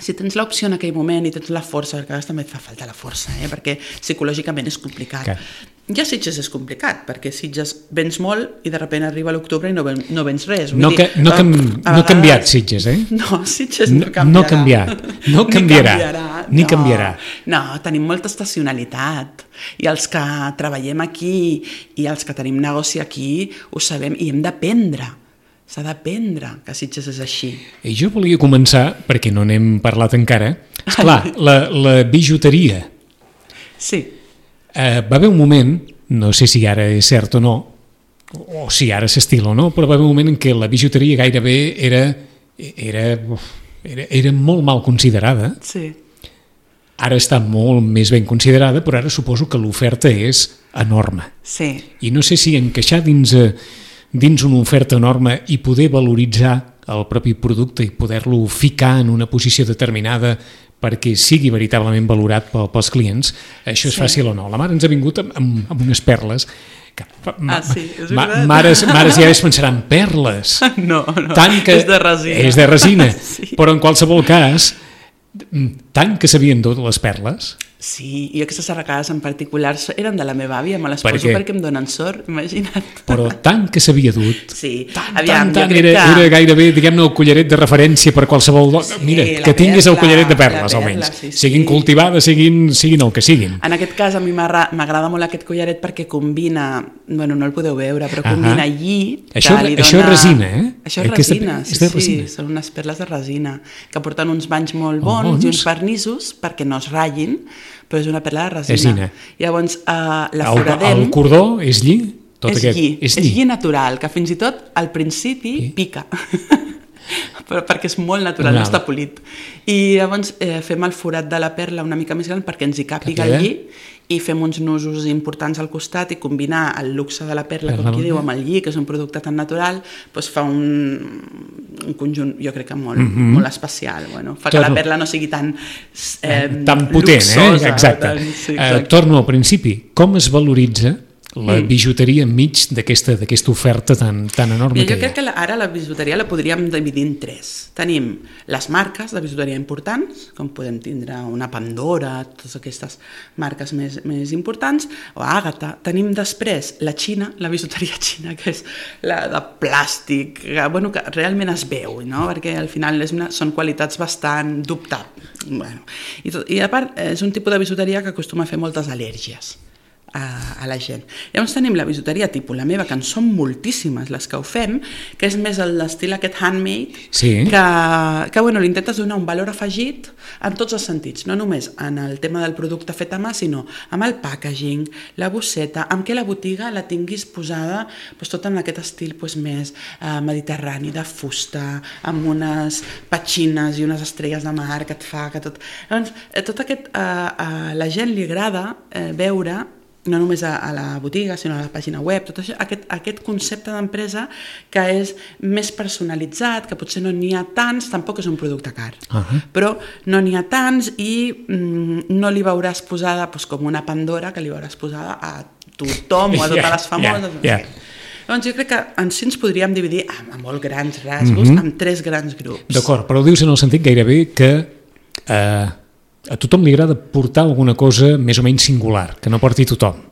si tens l'opció en aquell moment i tens la força, perquè a vegades també et fa falta la força, eh? Perquè psicològicament és complicat. Que... Ja Sitges és complicat, perquè Sitges vens molt i de sobte arriba l'octubre i no, ven, no vens res. Vull no, dir, que, no, cam, no ha canviat Sitges, eh? No, Sitges no canviarà. No ha canviat, no canviarà, ni canviarà. Ni no, canviarà. No, tenim molta estacionalitat i els que treballem aquí i els que tenim negoci aquí ho sabem i hem d'aprendre. S'ha d'aprendre que Sitges és així. I jo volia començar, perquè no n'hem parlat encara, esclar, la, la bijuteria. Sí. Eh, va haver un moment, no sé si ara és cert o no, o si ara s'estila o no, però va haver un moment en què la bijuteria gairebé era, era, era, era molt mal considerada. Sí. Ara està molt més ben considerada, però ara suposo que l'oferta és enorme. Sí. I no sé si encaixar dins... Eh, dins una oferta enorme i poder valoritzar el propi producte i poder-lo ficar en una posició determinada perquè sigui veritablement valorat pels clients, això és sí. fàcil o no? La mare ens ha vingut amb, amb, amb unes perles que, ah, sí, és ma, mares, mares ja es pensaran perles no, no, tant que, és de resina, és de resina. Sí. Però en qualsevol cas tant que s'havien dut les perles Sí, i aquestes arracades en particular eren de la meva àvia, me les per poso què? Perquè em donen sort, imagina't. Però tant que s'havia dut, sí. tant, Aviam, tant, tant, era, que... era gairebé, diguem-ne, el collaret de referència per qualsevol... Sí, Mira, que tinguis perla, el collaret de perles, perla, almenys. Sí, sí. Siguin cultivades, siguin, siguin el que siguin. En aquest cas, a mi m'agrada molt aquest collaret perquè combina, bueno, no el podeu veure, però combina uh -huh. lli... Això, que li dona... això és resina, eh? Això és resina, sí, sí, resina. Sí, són unes perles de resina, que porten uns banys molt bons, oh, bons. I uns vernissos perquè no es ratllin, però és una perla de resina. resina. Llavors, uh, la foradem... El, el cordó és lli? Tot és, aquest, lli, és lli, lli. és lli natural, que fins i tot al principi sí. pica, però perquè és molt natural, no està polit. I llavors eh, fem el forat de la perla una mica més gran perquè ens hi càpiga el lli i fem uns nusos importants al costat i combinar el luxe de la perla, com qui diu, amb el lli, que és un producte tan natural, doncs fa un, un conjunt, jo crec que molt, mm -hmm. molt especial. Bueno, fa que Torno. La perla no sigui tan eh, tan potent, luxosa, eh? Exacte. Tan, sí, exacte. Uh, torno al principi. Com es valoritza la bijuteria enmig d'aquesta d'aquesta oferta tan, tan enorme? Mira, que jo crec que la, ara la bijuteria la podríem dividir en tres. Tenim les marques de bijuteria importants, com podem tindre una Pandora, totes aquestes marques més, més importants, o Àgata. Tenim després la Xina, la bijuteria xina, que és la de plàstic, que, bueno, que realment es veu, no? Perquè al final és una, són qualitats bastant dubtables. Bueno, i, tot, I a part és un tipus de bijuteria que acostuma a fer moltes al·lèrgies A, a la gent. Llavors tenim la bijuteria tipus la meva, que en són moltíssimes les que ho fem, que és més l'estil aquest handmade, sí. que, que bueno, li intentes donar un valor afegit en tots els sentits, no només en el tema del producte fet a mà, sinó amb el packaging, la bosseta, amb què la botiga la tinguis posada doncs, tot en aquest estil doncs, més eh, mediterrani, de fusta, amb unes petxines i unes estrelles de mar que et fa que tot... Llavors, tot aquest, eh, a la gent li agrada eh, veure no només a, a la botiga, sinó a la pàgina web, tot això, aquest, aquest concepte d'empresa que és més personalitzat, que potser no n'hi ha tants, tampoc és un producte car, uh-huh. però no n'hi ha tants i mm, no li veuràs posada doncs, com una Pandora, que li veuràs posada a tothom o a totes yeah, les famoses. Yeah, yeah. Doncs jo crec que en si ens podríem dividir amb, amb molt grans rasgos, uh-huh. amb tres grans grups. D'acord, però ho dius en el sentit gairebé que... Eh, a tothom li agrada portar alguna cosa més o menys singular, que no porti tothom.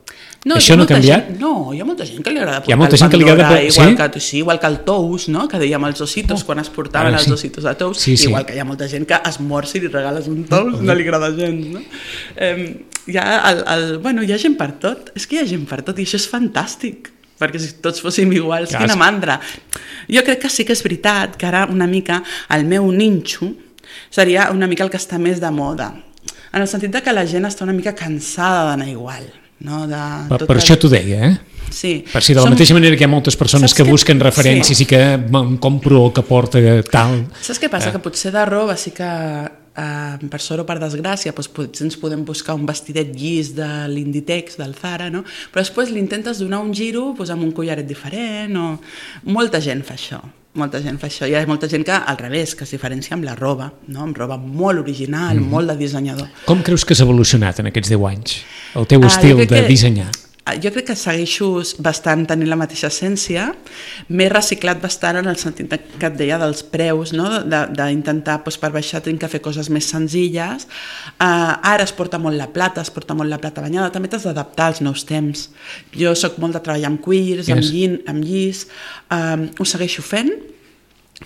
No, Això no ha canviat? Gent, no, hi ha molta gent que li agrada portar hi ha molta gent el Pandora, que li agrada... igual, sí? que, sí, igual que el Tous, no? Que dèiem els ositos, oh. quan es portaven ah, sí. els ositos de Tous, sí, sí. igual que hi ha molta gent que es mor si li regales un Tous, oh. no li agrada gens, no? Eh, hi, ha el, el, bueno, hi ha gent per tot, és que hi ha gent per tot i això és fantàstic, perquè si tots fóssim iguals, ja, quina mandra. Jo crec que sí que és veritat que ara una mica el meu ninxo seria una mica el que està més de moda, en el sentit de que la gent està una mica cansada d'anar igual. No? De per per el... això t'ho deia, eh? Sí. Per si de la Som... mateixa manera que hi ha moltes persones que, que busquen referències sí. i que em compro el que porta tal... Saps què passa? Eh. Que potser de roba sí que eh, per sort o per desgràcia doncs potser ens podem buscar un vestidet llis de l'Inditex, del Zara, no? Però després li intentes donar un giro doncs, amb un collaret diferent o... Molta gent fa això. Molta gent fa això. Hi ha molta gent que, al revés, que es diferencia amb la roba, no? Amb roba molt original, mm-hmm. molt de dissenyador. Com creus que s'ha evolucionat en aquests deu anys, el teu ah, estil de que, dissenyar? Jo crec que segueixo bastant tenint la mateixa essència, m'he reciclat bastant en el sentit que et deia dels preus, no? D'intentar, doncs, per baixar, tinc que fer coses més senzilles. Uh, ara es porta molt la plata, es porta molt la plata banyada, també t'has d'adaptar als nous temps. Jo soc molt de treballar amb cuirs, yes. amb, llin, amb llis, um, ho segueixo fent,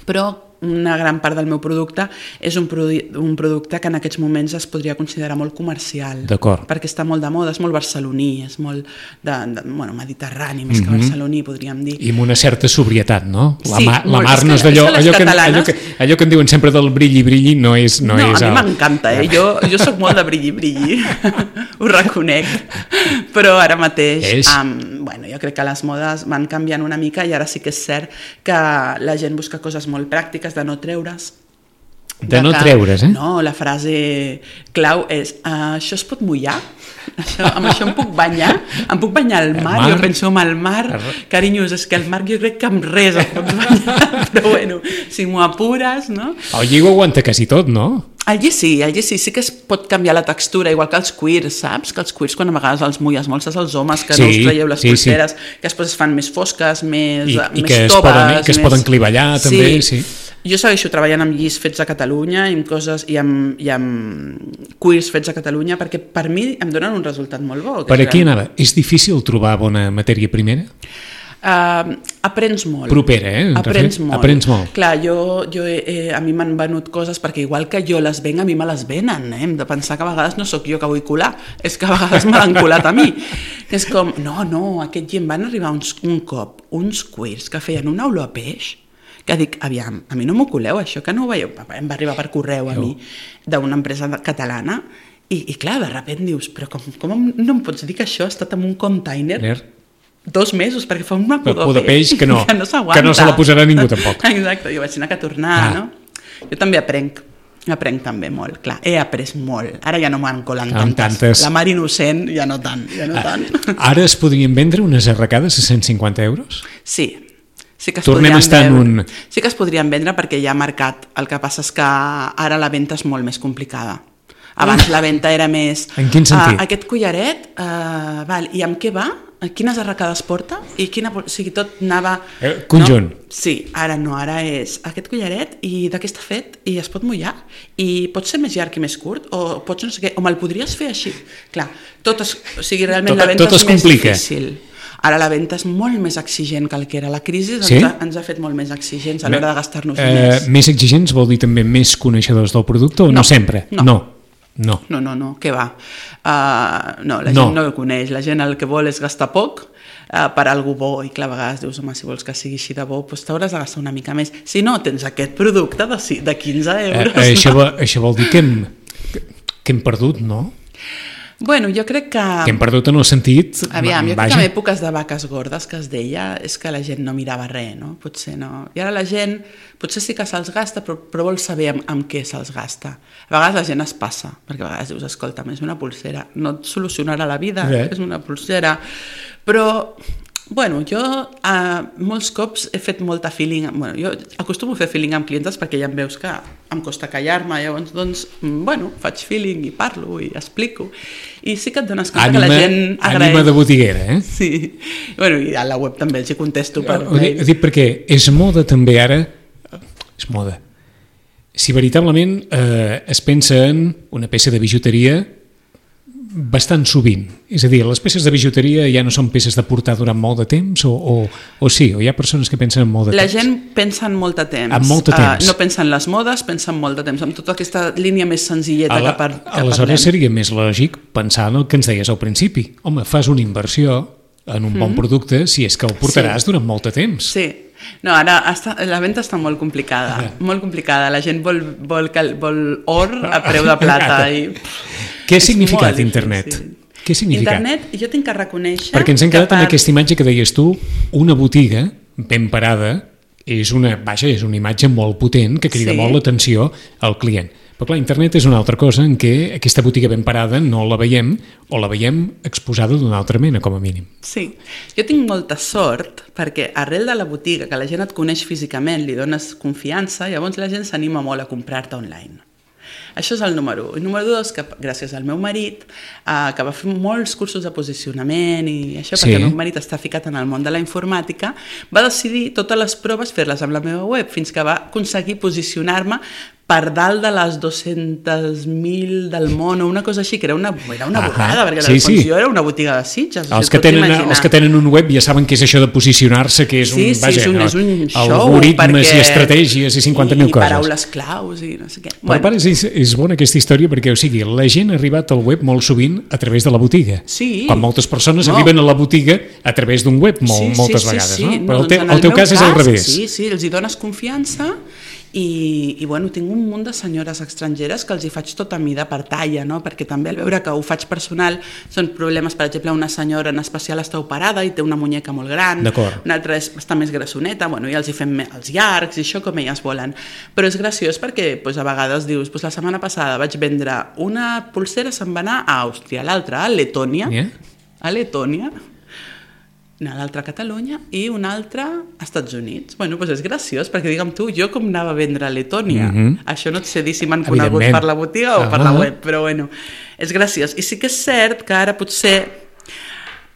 però una gran part del meu producte és un, produ un producte que en aquests moments es podria considerar molt comercial. D'acord. Perquè està molt de moda, és molt barceloní, és molt de, de, bueno, mediterrani, més mm-hmm. que barceloní, podríem dir. I amb una certa sobrietat, no? La, sí, ma la molt. mar no és d'allò... Allò, que, allò, que, allò que en diuen sempre del brilli, brilli, no és... No, no és a mi el... m'encanta, eh? Jo, jo soc molt de brilli, brilli, ho reconec. Però ara mateix, um, bueno, jo crec que les modes van canviant una mica i ara sí que és cert que la gent busca coses molt pràctiques, de no treure's. De, de no que, treure's, eh? No, la frase clau és uh, això es pot mullar? Això, amb això em puc banyar? Em puc banyar al mar? mar? Jo penso en el mar, carinyos, és que el mar jo crec que amb res em pots banyar, però bueno, si m'ho apures, no? El lli ho aguanta quasi tot, no? El lli sí, el lli sí, sí que es pot canviar la textura, igual que els cuirs, saps? Que els cuirs quan a vegades els mulles molt, saps els homes que sí, no us traieu les sí, polseres, sí. que després es fan més fosques, més, I, més i que toves. Es poden, que es més... poden clivellar també, sí. sí. Jo segueixo treballant amb llis fets a Catalunya i amb coses i amb, i amb queers fets a Catalunya perquè per mi em donen un resultat molt bo. Per aquí anava. És difícil trobar bona matèria primera? Uh, aprens molt. Propera, eh? Aprens molt. Aprens molt. Clar, jo, jo eh, a mi m'han venut coses perquè igual que jo les venc, a mi me les venen. Eh? Hem de pensar que a vegades no sóc jo que vull colar, és que a vegades me l'han colat a mi. És com, no, no, aquest gent van arribar uns, un cop, uns queers que feien una olor a peix, que dic, aviam, a mi no m'ho coleu això, que no ho veieu? Em va arribar per correu a mi, d'una empresa catalana, i, i clar, de sobte dius, però com, com no em pots dir que això ha estat en un container dos mesos, perquè fa una pudor de peix que no, que no s'aguanta. Que no se la posarà ningú tampoc. Exacte, jo vaig anar a tornar, ah. no? Jo també aprenc, aprenc també molt, clar, he après molt. Ara ja no m'han colat tantes. tantes. La mar innocent ja no tant, ja no tant. Ara es podrien vendre unes arracades a cent cinquanta euros? Sí. Sí que es Tornem a estar en un... Sí que es podrien vendre perquè hi ha mercat. El que passa és que ara la venda és molt més complicada. Abans la venda era més... En quin sentit? Uh, aquest collaret, uh, val, i amb què va? Quines arracades porta? I quina, o sigui, tot anava... Eh, conjunt. No? Sí, ara no, ara és aquest collaret i de què està fet i es pot mullar i pot ser més llarg i més curt o pots no sé què, o me'l podries fer així. Clar, tot es, o sigui, realment tot, la venda és més complica. Difícil. Ara la venda és molt més exigent que el que era. La crisi ens, sí? ha, ens ha fet molt més exigents a l'hora de gastar-nos eh, diners. Més exigents vol dir també més coneixedors del producte o no, no sempre? No. No. No, no, no, no, què va? Uh, no, la gent no. no el coneix, la gent el que vol és gastar poc uh, per algú bo i clar, a vegades dius, home, si vols que sigui així de bo, doncs t'hauràs de gastar una mica més. Si no, tens aquest producte de, de quinze euros. Eh, això, no? Això vol dir que hem, que hem perdut, no? Bueno, jo crec que... Que hem perdut en el sentit... Aviam, jo crec que en èpoques de vaques gordes que es deia és que la gent no mirava res, no? Potser no. I ara la gent, potser sí que se'ls gasta, però, però vol saber amb, amb què se'ls gasta. A vegades la gent es passa, perquè a vegades dius, escolta, és una pulsera, no et solucionarà la vida, Bé. és una pulsera. Però... Bueno, jo uh, molts cops he fet molta feeling, bueno, jo acostumo a fer feeling amb clientes perquè ja em veus que em costa callar-me, llavors doncs, bueno, faig feeling i parlo i explico i sí que et dones compte ànima, que la gent agraeix. Ànima de botiguera, eh? Sí, bueno, i a la web també els hi contesto per mail. Ho dic perquè és moda també ara, és moda, si veritablement eh, es pensa en una peça de bijuteria bastant sovint, és a dir, les peces de bijuteria ja no són peces de portar durant molt de temps o, o, o sí, o hi ha persones que pensen en molt de la temps? La gent pensa en molt de temps, en molt de temps. Uh, no pensa en les modes, pensa en molt de temps, amb tota aquesta línia més senzilleta la, que, par, que aleshores parlem. Seria més lògic pensar en el que ens deies al principi, home, fas una inversió en un mm. bon producte si és que el portaràs sí. durant molt de temps. Sí, no, ara està, la venda està molt complicada, ah. molt complicada, la gent vol, vol, vol or a preu de plata i... Què ha significat internet? Què ha significat? Internet, jo tinc que reconèixer... Perquè ens hem quedat per... amb aquesta imatge que deies tu, una botiga ben parada, és una, vaja, és una imatge molt potent que crida sí. molt l'atenció al client. Però clar, internet és una altra cosa en què aquesta botiga ben parada no la veiem o la veiem exposada d'una altra mena, com a mínim. Sí, jo tinc molta sort perquè arrel de la botiga, que la gent et coneix físicament, li dones confiança, llavors la gent s'anima molt a comprar-te online. Això és el número un. I número dos, que gràcies al meu marit, eh, que va fer molts cursos de posicionament i això, sí. perquè el meu marit està ficat en el món de la informàtica, va decidir totes les proves fer-les amb la meva web, fins que va aconseguir posicionar-me per dalt de les dues-centes mil del món o una cosa així, que era una, era una borrada, perquè sí, sí. jo era una botiga de Sitges. Els que, tenen, els que tenen un web ja saben què és això de posicionar-se, que és un, sí, sí, vaja, és un, és un show, algoritmes perquè... i estratègies i cinquanta mil I, coses. I paraules claus i no sé què. Però bueno. Pare, és, és bona aquesta història perquè, o sigui, la gent ha arribat al web molt sovint a través de la botiga. Sí. Quan moltes persones no. arriben a la botiga a través d'un web molt, sí, moltes sí, vegades, sí, sí. no? Però no, el, te, doncs el teu cas, cas és al revés. Sí, sí, els hi dones confiança i, i bueno, tinc un munt de senyores estrangeres que els hi faig tota mida per talla, no? Perquè també al veure que ho faig personal són problemes, per exemple, una senyora en especial està operada i té una muñeca molt gran, una altra és, està més grassoneta, bueno, i els hi fem els llargs i això com elles volen. Però és graciós perquè pues, a vegades dius, pues, la setmana passada vaig vendre una pulsera, se'n va anar a Àustria, l'altra a Letònia, yeah. a Letònia, l'altra a Catalunya i una altra als Estats Units. Bueno, doncs és graciós, perquè digue'm tu, jo com anava a vendre a Letònia? Mm-hmm. Això no et sé dir si m'han conegut per la botiga o uh-huh. per la web, però bueno, és graciós. I sí que és cert que ara potser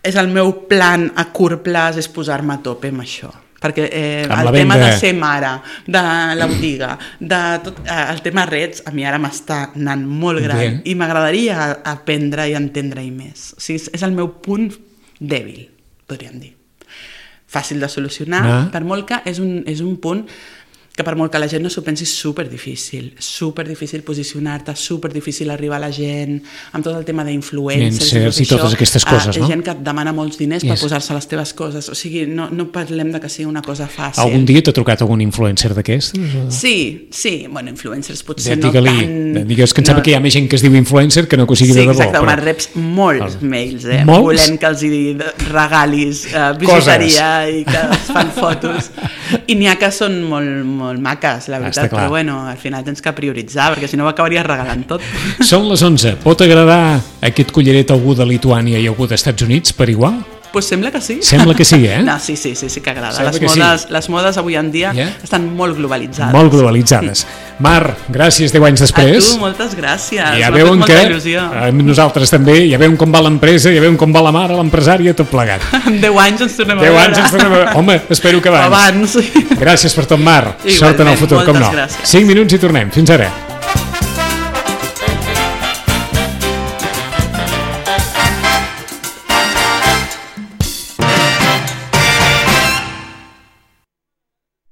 és el meu plan a curt plaç és posar-me a tope amb això. perquè eh, Amb el la tema venda. de ser mare, de la botiga, de tot, eh, el tema rets, a mi ara m'està anant molt gran Bé. i m'agradaria aprendre i entendre-hi més. O sigui, és- és el meu punt dèbil, podríem dir. Fàcil de solucionar, Ah. per molt que és un, és un punt que per molt que la gent no s'ho pensi és superdifícil, superdifícil posicionar-te, superdifícil arribar a la gent, amb tot el tema d'influencers Influencers i tot totes això. aquestes coses, Ah, no? Gent que et demana molts diners per Yes. posar-se les teves coses, o sigui, no, no parlem de que sigui una cosa fàcil. Algun dia t'ha trucat algun influencer d'aquests? o- Sí, sí, bueno, influencers potser Ja, no digue-li, tant... digues que em sembla no. que hi ha més gent que es diu influencer que no que ho sigui Sí, de debò. exacte, però- me'n reps molts mails, eh? Molts? Volent que els hi regalis eh, bijuteria i que es fan fotos. I n'hi ha que són molt, molt maques, la Ah, veritat, està clar. però bueno, al final tens que prioritzar, perquè si no ho acabaries regalant tot. Són les onze. Pot agradar aquest collaret a algú de Lituània i a algú dels Estats Units per igual? Pues sembla que sí. Sembla que sí, eh? No, sí, sí, sí, sí que agrada. Sembla Les que sí. modes, les modes avui en dia Yeah. estan molt globalitzades. Molt globalitzades. Mar, gràcies deu anys A després. tu, moltes gràcies. I ja M'ha fet veuen molta que il·lusió. eh, nosaltres també, ja veuen com va l'empresa, ja veuen com va la mare, l'empresària, tot plegat. En deu anys ens tornem a deu veure. anys ens tornem a veure. Home, espero que abans. Abans, sí. Gràcies per tot, Mar. Igualment, Sort en el futur, com no. moltes gràcies. cinc minuts i tornem. Fins ara.